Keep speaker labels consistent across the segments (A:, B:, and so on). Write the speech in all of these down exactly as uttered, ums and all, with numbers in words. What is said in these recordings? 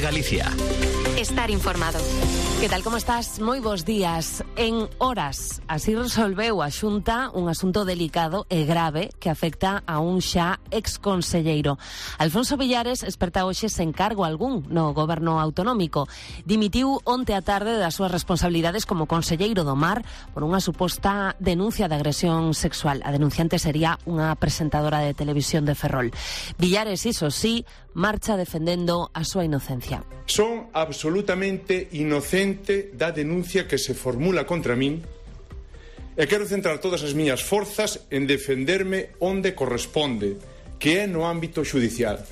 A: Galicia.
B: Estar informado.
C: Que tal, como estás? Moi bons días. En horas, así resolveu a Xunta un asunto delicado e grave que afecta a un xa exconselleiro. Alfonso Villares esperta hoxe sen cargo algún no goberno autonómico. Dimitiu onte a tarde das súas responsabilidades como conselleiro do Mar por unha suposta denuncia de agresión sexual. A denunciante sería unha presentadora de televisión de Ferrol. Villares, iso sí, marcha defendendo a súa inocencia.
D: Son absolutamente inocente da denuncia que se formula contra min e quero centrar todas as miñas forzas en defenderme onde corresponde, que é no ámbito xudicial.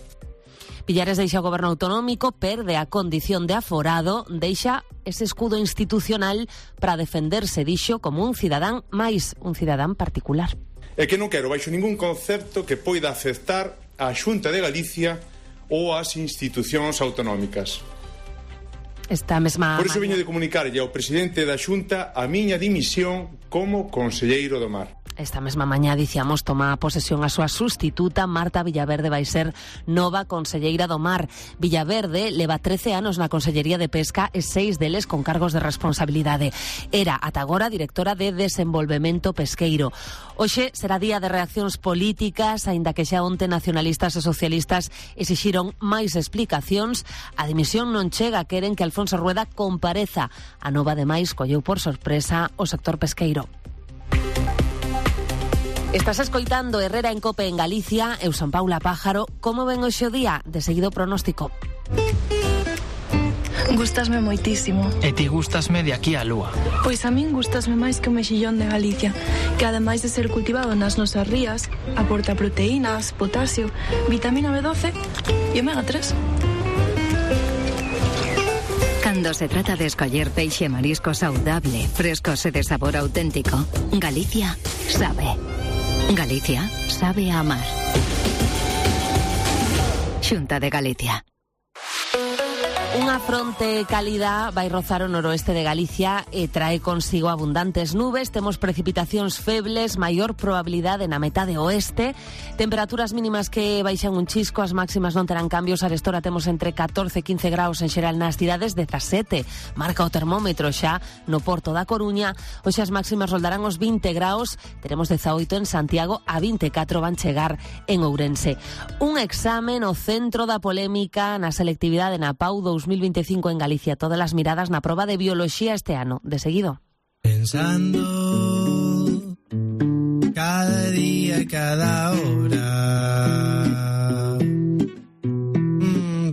C: Villares deixa o goberno autonómico, perde a condición de aforado, deixa ese escudo institucional para defenderse, dixo, como un cidadán máis, un cidadán particular.
D: E que non quero baixo ningún concepto que poida afectar a Xunta de Galicia ou as institucións autonómicas.
C: Esta mesma
D: Por iso veño de comunicarlle ao presidente da Xunta a miña dimisión como conselleiro do Mar.
C: Esta mesma mañá, dicíamos, toma posesión a súa sustituta. Marta Villaverde vai ser nova conselleira do Mar. Villaverde leva trece anos na Consellería de Pesca e seis deles con cargos de responsabilidade. Era ata agora directora de Desenvolvemento Pesqueiro. Hoxe será día de reaccións políticas, aínda que xa onte nacionalistas e socialistas exixiron máis explicacións. A dimisión non chega, queren que Alfonso Rueda compareza. A nova, ademais, colleu por sorpresa o sector pesqueiro. Estás escoitando Herrera en Cope en Galicia. Eu son Paula Pájaro. Como ven hoxe o día? De seguido pronóstico.
E: Gustasme moitísimo.
F: E ti gustasme de aquí á lúa.
E: Pois a min gustasme máis que o mexillón de Galicia, que ademais de ser cultivado nas nosas rías, aporta proteínas, potasio, vitamina B doce e omega tres.
B: Cando se trata de escoller peixe e marisco saudable, frescos e de sabor auténtico, Galicia sabe. Galicia sabe a amar. Xunta de Galicia.
C: Unha fronte cálida vai rozar o noroeste de Galicia e trae consigo abundantes nubes. Temos precipitacións febles, maior probabilidade na metade oeste, temperaturas mínimas que baixan un chisco, as máximas non terán cambios. Arestora temos entre catorce e quince graus en xeral nas cidades, dezasete marca o termómetro xa no Porto da Coruña. Hoxe as máximas roldarán os vinte graus, teremos dezaoito en Santiago, a vinte e catro van chegar en Ourense. Un exame no centro da polémica na selectividade na P A U dous mil veinticinco en Galicia. Todas as miradas na proba de bioloxía este ano. De seguido.
G: Pensando cada día, cada hora,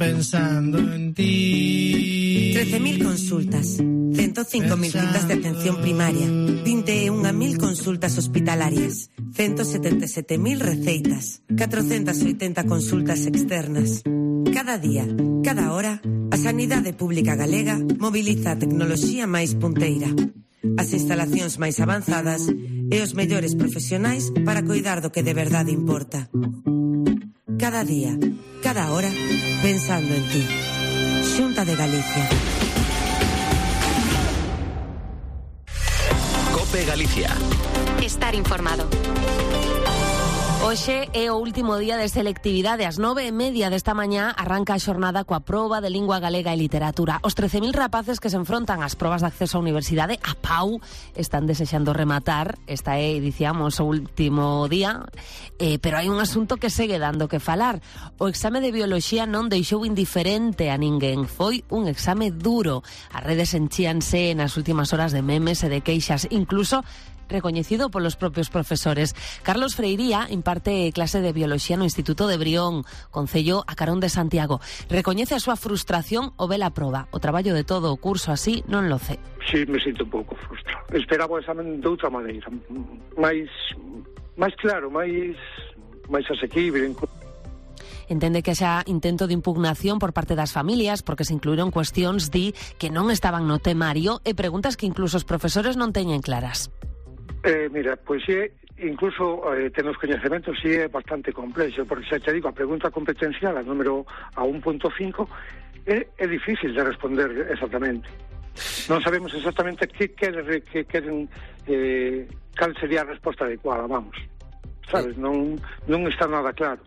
G: pensando en ti.
H: trece mil consultas, ciento cinco mil citas de atención primaria, vinte e unha mil consultas hospitalarias, ciento setenta e sete mil receitas, catrocentas oitenta consultas externas. Cada día, cada hora, a Sanidade Pública Galega mobiliza a tecnoloxía máis punteira, as instalacións máis avanzadas e os mellores profesionais para coidar do que de verdade importa. Cada día, cada hora, pensando en ti. Xunta de Galicia.
A: Cope Galicia.
B: Estar informado.
C: Hoxe é o último día de selectividade. Ás nove e media desta mañá arranca a xornada coa proba de lingua galega e literatura. Os trece mil rapaces que se enfrontan ás probas de acceso á universidade, a P A U, están desexando rematar. Esta é, dicíamos, o último día, eh, pero hai un asunto que segue dando que falar. O exame de bioloxía non deixou indiferente a ninguén. Foi un exame duro. As redes enchíanse nas últimas horas de memes e de queixas, incluso recoñecido polos propios profesores. Carlos Freiría imparte clase de bioloxía no Instituto de Brión, concello a carón de Santiago. Recoñece a súa frustración ao ver a proba. O traballo de todo o curso así non lo ce.
I: Sí, me sinto un pouco frustrado. Esperaba o examen de outra maneira, máis máis claro, máis máis asequible.
C: Entende que xa intento de impugnación por parte das familias porque se incluíron cuestións, di, que non estaban no temario e preguntas que incluso os profesores non teñen claras.
I: Eh, mira, pois é, incluso eh, ten os coñecementos, sí é bastante complexo, porque xa te digo, a pregunta competencial, a número a un punto cinco, é, é difícil de responder exactamente. Non sabemos exactamente que queren, que queren eh, cal sería a resposta adecuada, vamos. Sabes, non, non está nada claro.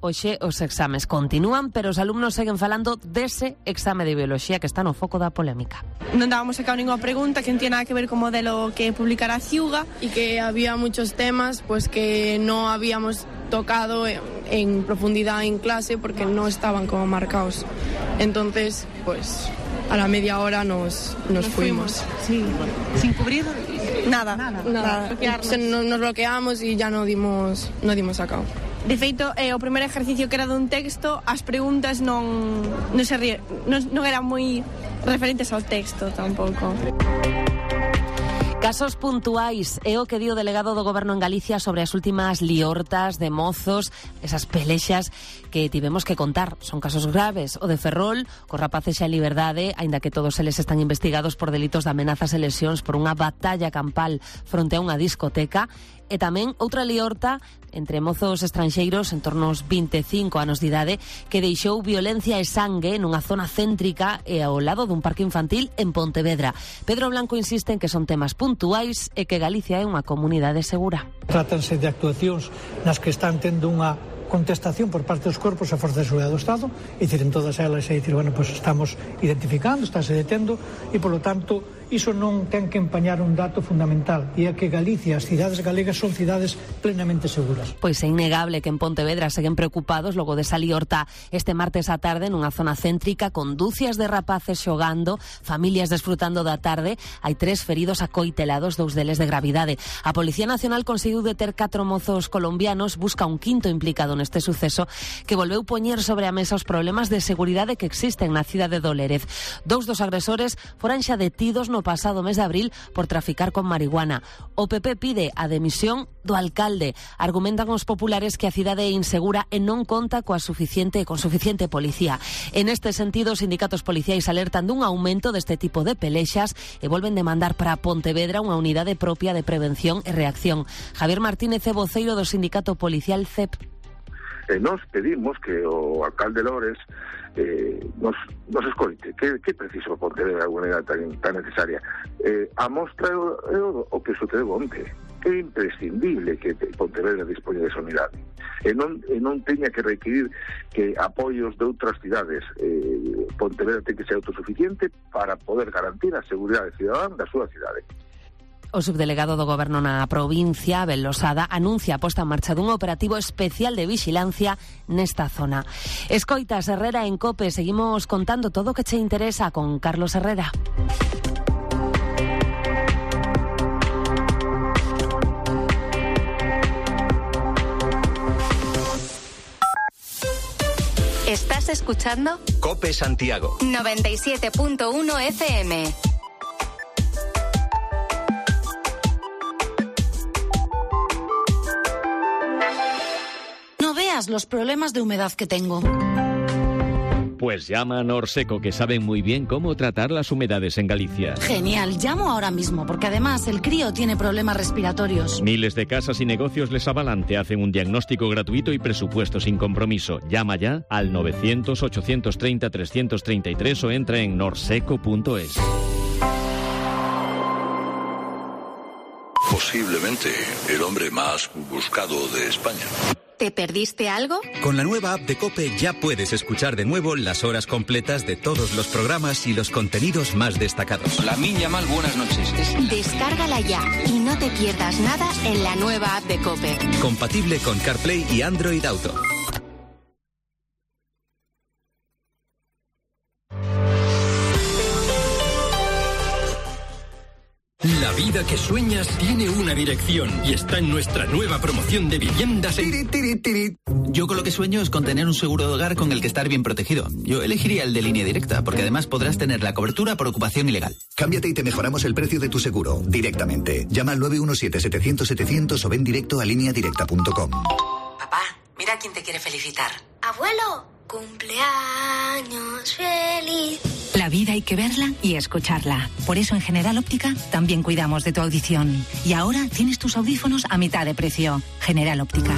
C: hoxe os exames continúan, pero os alumnos seguen falando dese exame de bioloxía que está no foco da polémica.
A: Non dábamos sacado ninguna pregunta que non tiene nada que ver co modelo que publicará Ciuga
J: y que había muchos temas pues que no habíamos tocado en, en profundidad en clase porque no estaban como marcados. Entonces, pues a la media hora nos, nos, nos fuimos.
A: fuimos. Sí. Sin cubrir nada.
J: Nada. nada. nada. Se, nos, nos bloqueamos y ya no dimos, no dimos sacado.
A: De feito, eh, o primeiro ejercicio que era dun texto, as preguntas non non se rie, non, non eran moi referentes ao texto tampouco.
C: Casos puntuais é o que di o delegado do Goberno en Galicia sobre as últimas liortas de mozos, esas pelexas que tivemos que contar. Son casos graves, o de Ferrol, cos rapaces xa en liberdade, aínda que todos eles están investigados por delitos de amenazas e lesións por unha batalla campal fronte a unha discoteca, e tamén outra liorta entre mozos estranxeiros en torno aos veinticinco anos de idade que deixou violencia e sangue nunha zona céntrica e ao lado dun parque infantil en Pontevedra. Pedro Blanco insiste en que son temas puntuais e que Galicia é unha comunidade segura.
K: Trátanse de actuacións nas que están tendo unha contestación por parte dos corpos e forzas de seguridade do Estado, e dicir, en todas elas, é dicir, bueno, pues estamos identificando, estáse detendo, e, polo tanto, iso non ten que empañar un dato fundamental, e é que Galicia, as cidades galegas, son cidades plenamente seguras.
C: Pois é innegable que en Pontevedra seguen preocupados logo de esa liorta este martes á tarde nunha zona céntrica con dúcias de rapaces xogando, familias desfrutando da tarde, hai tres feridos acoitelados, dous deles de gravidade. A Policía Nacional conseguiu deter catro mozos colombianos, busca un quinto implicado neste suceso que volveu poñer sobre a mesa os problemas de seguridade que existen na cidade de Lérez. Dous dos agresores foran xa detidos no pasado mes de abril por traficar con marihuana. O P P pide a demisión do alcalde. Argumentan os populares que a cidade é insegura e non conta coa suficiente con suficiente policía. En este sentido, os sindicatos policiais alertan dun aumento deste tipo de pelexas e volven demandar para Pontevedra unha unidade propia de prevención e reacción. Javier Martínez é voceiro do sindicato policial C E P.
L: Eh, nos pedimos que o alcalde Lores eh, nos, nos escoite que, que preciso Pontevedra unha unidade tan, tan necesaria. Eh, a mostra o, o, o que sucedeu onte. É imprescindible que Pontevedra dispoña desa unidade. E non, e non teña que requirir que apoios de outras cidades. Eh, Pontevedra ten que ser autosuficiente para poder garantir a seguridade cidadana da súa cidade.
C: O subdelegado do Goberno na provincia, Abel Losada, anuncia a posta en marcha dun operativo especial de vixilancia nesta zona. Escoitas Herrera en COPE, seguimos contando todo o que che interesa con Carlos Herrera.
B: ¿Estás escuchando?
M: COPE Santiago.
B: noventa y siete punto uno F M.
N: No veas los problemas de humedad que tengo.
O: Pues llama a Norseco, que saben muy bien cómo tratar las humedades en Galicia.
N: Genial, llamo ahora mismo, porque además el crío tiene problemas respiratorios.
O: Miles de casas y negocios les avalan, te hacen un diagnóstico gratuito y presupuesto sin compromiso. Llama ya al novecientos, ochocientos treinta, trescientos treinta y tres o entra en norseco punto es.
P: Posiblemente el hombre más buscado de España.
B: ¿Te perdiste algo?
Q: Con la nueva app de COPE ya puedes escuchar de nuevo las horas completas de todos los programas y los contenidos más destacados.
R: La Miña Mal, buenas noches.
B: Descárgala ya y no te pierdas nada en la nueva app de COPE.
Q: Compatible con CarPlay y Android Auto.
S: La vida que sueñas tiene una dirección y está en nuestra nueva promoción de viviendas en...
T: Tiri, tiri, tiri. Yo con lo que sueño es con tener un seguro de hogar con el que estar bien protegido. Yo elegiría el de Línea Directa, porque además podrás tener la cobertura por ocupación ilegal.
U: Cámbiate y te mejoramos el precio de tu seguro, directamente. Llama al nueve uno siete, setecientos, setecientos o ven directo a línea directa punto com.
H: Papá, mira quién te quiere felicitar.
V: Abuelo, cumpleaños feliz.
W: La vida hay que verla y escucharla. Por eso en General Óptica también cuidamos de tu audición. Y ahora tienes tus audífonos a mitad de precio. General Óptica.